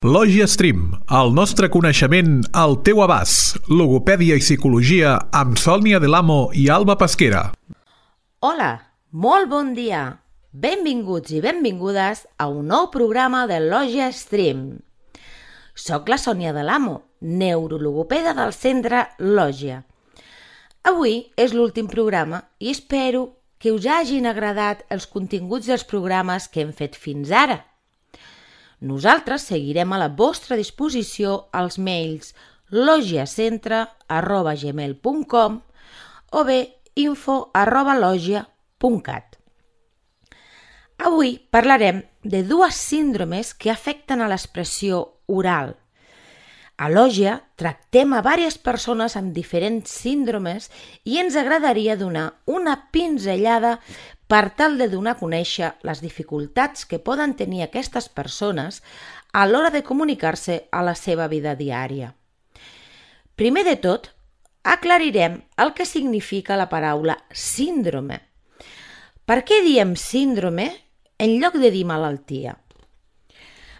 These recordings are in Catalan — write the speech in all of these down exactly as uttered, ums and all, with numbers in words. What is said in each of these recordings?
Lògia Stream, el nostre coneixement al teu abast. Logopèdia i psicologia amb Sònia Delamo i Alba Pesquera. Hola, molt bon dia. Benvinguts i benvingudes a un nou programa de Lògia Stream. Soc la Sònia Delamo, neurologopeda del centre Lògia. Avui és l'últim programa i espero que us hagin agradat els continguts dels programes que hem fet fins ara. Nosaltres seguirem a la vostra disposició als mails logiacentre arroba gmail punt com o bé info arroba logia punt cat. Avui parlarem de dues síndromes que afecten a l'expressió oral. A Lògia tractem a diverses persones amb diferents síndromes i ens agradaria donar una pinzellada per tal de donar a conèixer les dificultats que poden tenir aquestes persones a l'hora de comunicar-se a la seva vida diària. Primer de tot, aclarirem el que significa la paraula síndrome. Per què diem síndrome en lloc de dir malaltia?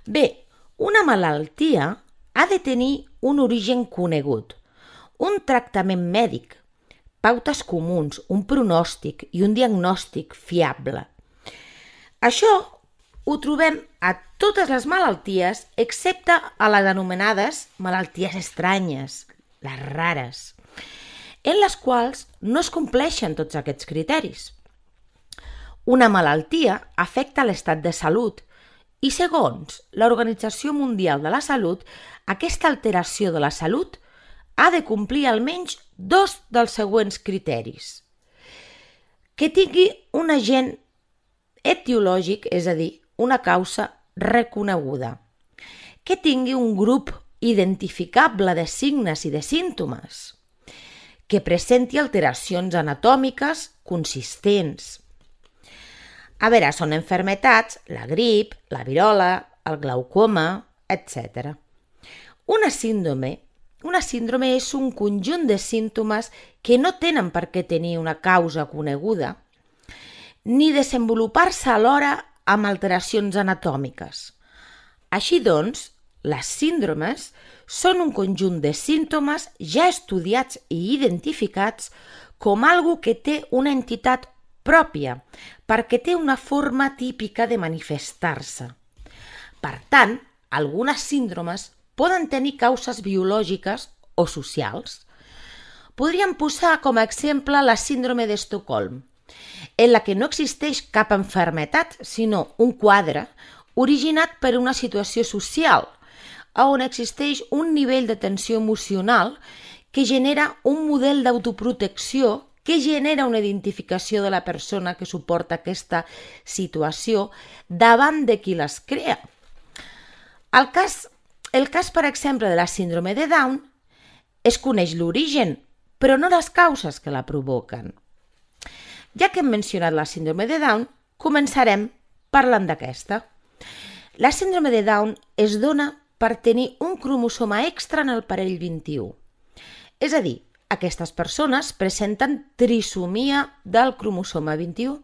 Bé, una malaltia ha de tenir un origen conegut, un tractament mèdic, pautes comuns, un pronòstic i un diagnòstic fiable. Això ho trobem a totes les malalties excepte a les anomenades malalties estranyes, les rares, en les quals no es compleixen tots aquests criteris. Una malaltia afecta l'estat de salut i, segons l'Organització Mundial de la Salut, aquesta alteració de la salut ha de complir almenys dos dels següents criteris. Que tingui un agent etiològic, és a dir, una causa reconeguda. Que tingui un grup identificable de signes i de símptomes. Que presenti alteracions anatòmiques consistents. A veure, són malalties, la grip, la virola, el glaucoma, etcètera. Una síndrome, una síndrome és un conjunt de símptomes que no tenen per què tenir una causa coneguda ni desenvolupar-se alhora amb alteracions anatòmiques. Així doncs, les síndromes són un conjunt de símptomes ja estudiats i identificats com algo que té una entitat pròpia, perquè té una forma típica de manifestar-se. Per tant, algunes síndromes poden tenir causes biològiques o socials. Podríem posar com a exemple la síndrome d'Estocolm, en la que no existeix cap malaltia, sinó un quadre originat per una situació social, on existeix un nivell de tensió emocional que genera un model d'autoprotecció que genera una identificació de la persona que suporta aquesta situació davant de qui les crea. El cas, el cas, per exemple, de la síndrome de Down es coneix l'origen, però no les causes que la provoquen. Ja que hem mencionat la síndrome de Down, començarem parlant d'aquesta. La síndrome de Down es dona per tenir un cromosoma extra en el parell vint-i-u. És a dir, aquestes persones presenten trisomia del cromosoma vint-i-u.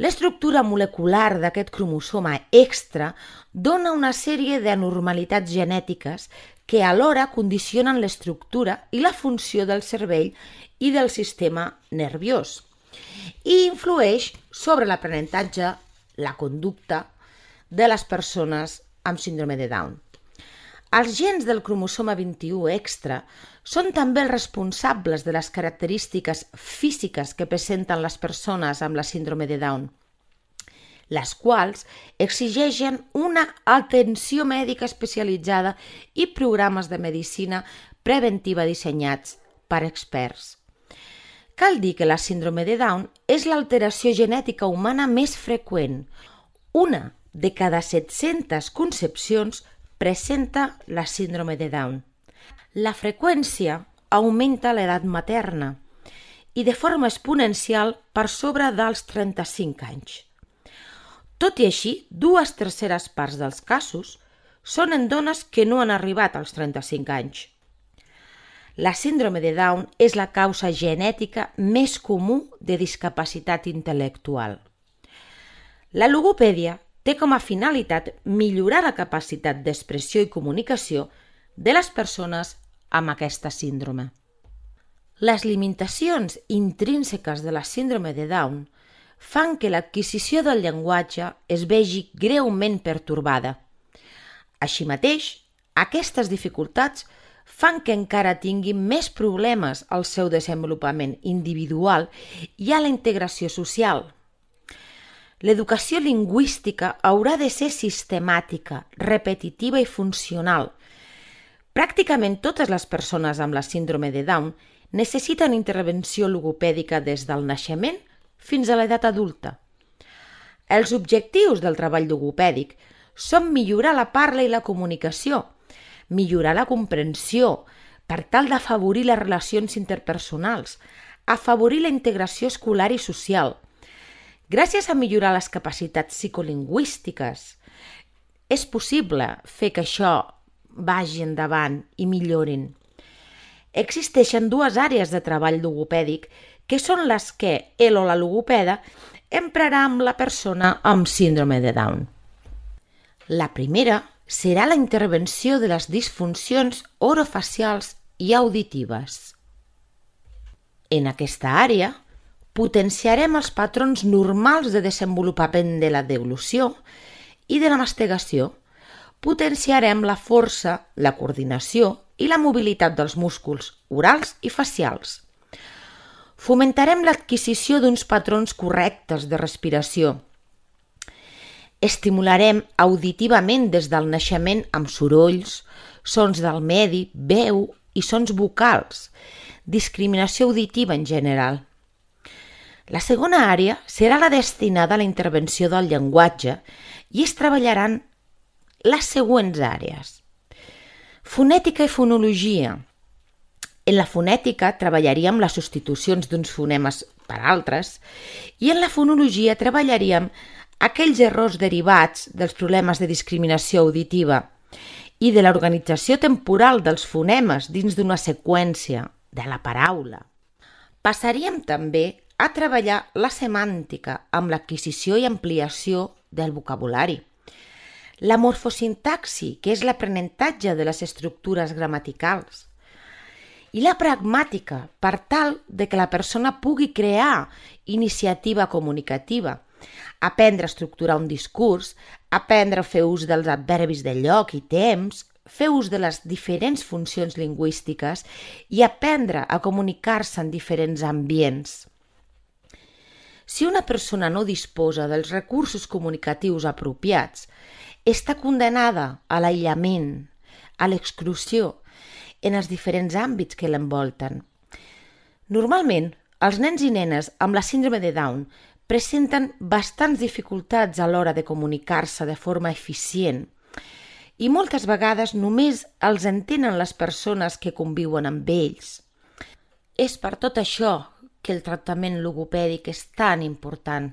L'estructura molecular d'aquest cromosoma extra dona una sèrie d'anormalitats genètiques que alhora condicionen l'estructura i la funció del cervell i del sistema nerviós i influeix sobre l'aprenentatge, la conducta de les persones amb síndrome de Down. Els gens del cromosoma vint-i-u extra són també els responsables de les característiques físiques que presenten les persones amb la síndrome de Down, les quals exigeixen una atenció mèdica especialitzada i programes de medicina preventiva dissenyats per experts. Cal dir que la síndrome de Down és l'alteració genètica humana més freqüent. Una de cada set-centes concepcions presenta la síndrome de Down. La freqüència augmenta a l'edat materna i de forma exponencial per sobre dels trenta-cinc anys. Tot i així, dues terceres parts dels casos són en dones que no han arribat als trenta-cinc anys. La síndrome de Down és la causa genètica més comú de discapacitat intel·lectual. La logopèdia té com a finalitat millorar la capacitat d'expressió i comunicació de les persones amb aquesta síndrome. Les limitacions intrínseques de la síndrome de Down fan que l'adquisició del llenguatge es vegi greument pertorbada. Així mateix, aquestes dificultats fan que encara tingui més problemes al seu desenvolupament individual i a la integració social. L'educació lingüística haurà de ser sistemàtica, repetitiva i funcional. Pràcticament totes les persones amb la síndrome de Down necessiten intervenció logopèdica des del naixement fins a l'edat adulta. Els objectius del treball logopèdic són millorar la parla i la comunicació, millorar la comprensió per tal d'afavorir les relacions interpersonals, afavorir la integració escolar i social. Gràcies a millorar les capacitats psicolingüístiques, és possible fer que això vagi endavant i millorin. Existeixen dues àrees de treball logopèdic que són les que el o la logopeda emprarà amb la persona amb síndrome de Down. La primera serà la intervenció de les disfuncions orofacials i auditives. En aquesta àrea, potenciarem els patrons normals de desenvolupament de la deglució i de la mastegació. Potenciarem la força, la coordinació i la mobilitat dels músculs orals i facials. Fomentarem l'adquisició d'uns patrons correctes de respiració. Estimularem auditivament des del naixement amb sorolls, sons del medi, veu i sons vocals, discriminació auditiva en general. La segona àrea serà la destinada a la intervenció del llenguatge i es treballaran les següents àrees. Fonètica i fonologia. En la fonètica treballaríem les substitucions d'uns fonemes per altres i en la fonologia treballaríem aquells errors derivats dels problemes de discriminació auditiva i de l'organització temporal dels fonemes dins d'una seqüència de la paraula. Passaríem també a treballar la semàntica amb l'adquisició i ampliació del vocabulari. La morfosintaxi, que és l'aprenentatge de les estructures gramaticals. I la pragmàtica, per tal de que la persona pugui crear iniciativa comunicativa, aprendre a estructurar un discurs, aprendre a fer ús dels adverbis de lloc i temps, fer ús de les diferents funcions lingüístiques i aprendre a comunicar-se en diferents ambients. Si una persona no disposa dels recursos comunicatius apropiats, està condenada a l'aïllament, a l'exclusió, en els diferents àmbits que l'envolten. Normalment, els nens i nenes amb la síndrome de Down presenten bastants dificultats a l'hora de comunicar-se de forma eficient i moltes vegades només els entenen les persones que conviuen amb ells. És per tot això que el tractament logopèdic és tan important.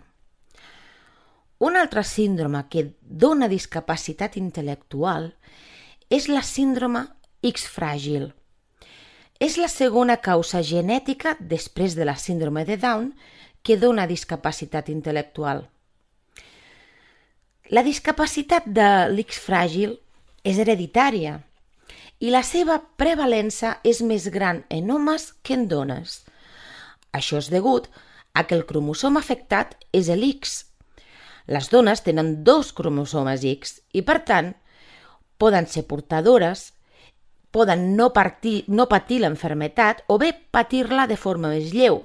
Una altra síndrome que dona discapacitat intel·lectual és la síndrome X-fràgil. És la segona causa genètica després de la síndrome de Down que dona discapacitat intel·lectual. La discapacitat de l'X-fràgil és hereditària i la seva prevalença és més gran en homes que en dones. Això és degut a que el cromosoma afectat és l'X. Les dones tenen dos cromosomes X i, per tant, poden ser portadores, poden no, partir, no patir l'enfermetat o bé patir-la de forma més lleu,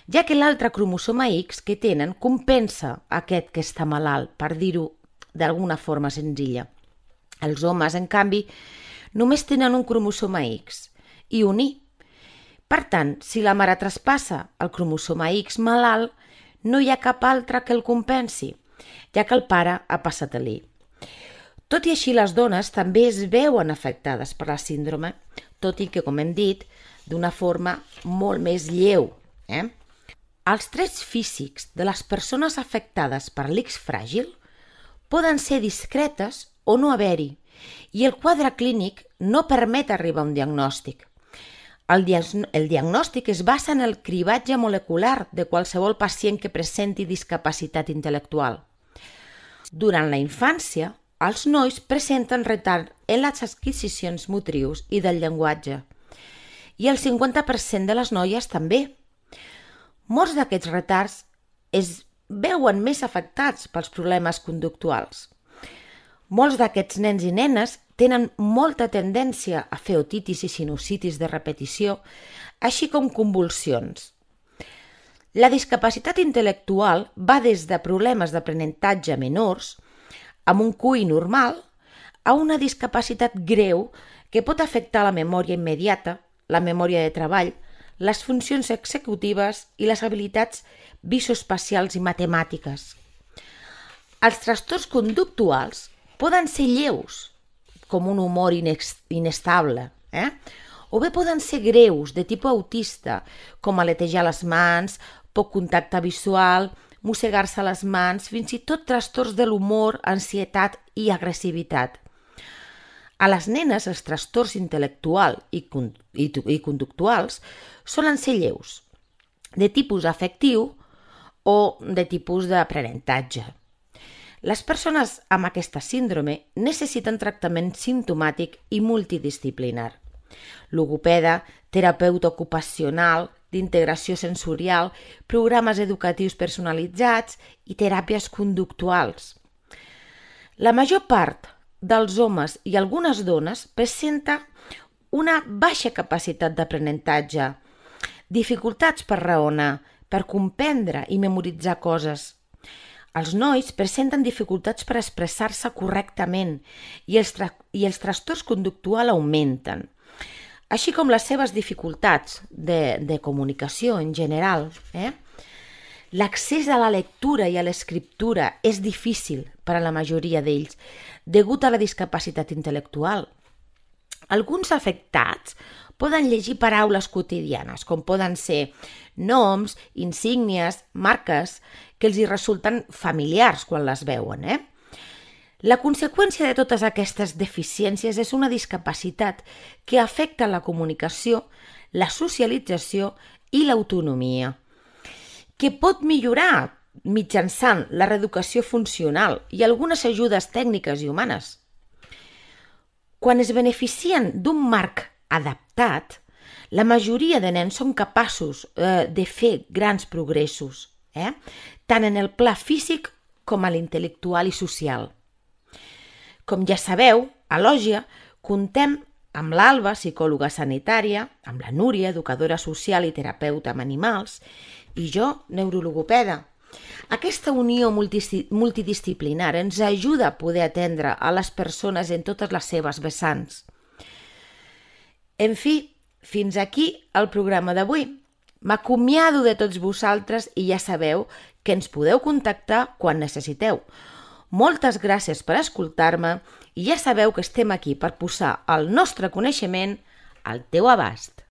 ja que l'altre cromosoma X que tenen compensa aquest que està malalt, per dir-ho d'alguna forma senzilla. Els homes, en canvi, només tenen un cromosoma X i un Y. Per tant, si la mare traspassa el cromosoma X malalt, no hi ha cap altre que el compensi, ja que el pare ha passat a l'Y. Tot i així, les dones també es veuen afectades per la síndrome, tot i que, com hem dit, d'una forma molt més lleu. Eh? Els trets físics de les persones afectades per l'X-fràgil poden ser discretes o no haver-hi, i el quadre clínic no permet arribar a un diagnòstic. El, diag- el diagnòstic es basa en el cribatge molecular de qualsevol pacient que presenti discapacitat intel·lectual. Durant la infància, els nois presenten retard en les adquisicions motrius i del llenguatge, i el cinquanta per cent de les noies també. Molts d'aquests retards es veuen més afectats pels problemes conductuals. Molts d'aquests nens i nenes tenen molta tendència a fer otitis i sinusitis de repetició, així com convulsions. La discapacitat intel·lectual va des de problemes d'aprenentatge menors, amb un Q I normal, a una discapacitat greu que pot afectar la memòria immediata, la memòria de treball, les funcions executives i les habilitats visoespacials i matemàtiques. Els trastorns conductuals poden ser lleus, com un humor inestable, eh? o bé poden ser greus, de tipus autista, com aletejar les mans, poc contacte visual, mossegar-se les mans, fins i tot trastorns de l'humor, ansietat i agressivitat. A les nenes, els trastorns intel·lectuals i, i, i conductuals solen ser lleus, de tipus afectiu o de tipus d'aprenentatge. Les persones amb aquesta síndrome necessiten tractament simptomàtic i multidisciplinar. Logopeda, terapeuta ocupacional, d'integració sensorial, programes educatius personalitzats i teràpies conductuals. La major part dels homes i algunes dones presenta una baixa capacitat d'aprenentatge, dificultats per raonar, per comprendre i memoritzar coses. Els nois presenten dificultats per expressar-se correctament i els, tra i els trastorns conductuals augmenten, així com les seves dificultats de, de comunicació en general. Eh? L'accés a la lectura i a l'escriptura és difícil per a la majoria d'ells, degut a la discapacitat intel·lectual. Alguns afectats poden llegir paraules quotidianes, com poden ser noms, insígnies, marques, que els hi resulten familiars quan les veuen. Eh? La conseqüència de totes aquestes deficiències és una discapacitat que afecta la comunicació, la socialització i l'autonomia, que pot millorar mitjançant la reeducació funcional i algunes ajudes tècniques i humanes. Quan es beneficien d'un marc adaptat, la majoria de nens són capaços eh, de fer grans progressos, eh? tant en el pla físic com a l'intel·lectual i social. Com ja sabeu, a Lògia contem amb l'Alba, psicòloga sanitària, amb la Núria, educadora social i terapeuta amb animals, i jo, neurologopeda. Aquesta unió multidisciplinar ens ajuda a poder atendre a les persones en totes les seves vessants. En fi, fins aquí el programa d'avui. M'acomiado de tots vosaltres i ja sabeu que ens podeu contactar quan necessiteu. Moltes gràcies per escoltar-me i ja sabeu que estem aquí per posar el nostre coneixement al teu abast.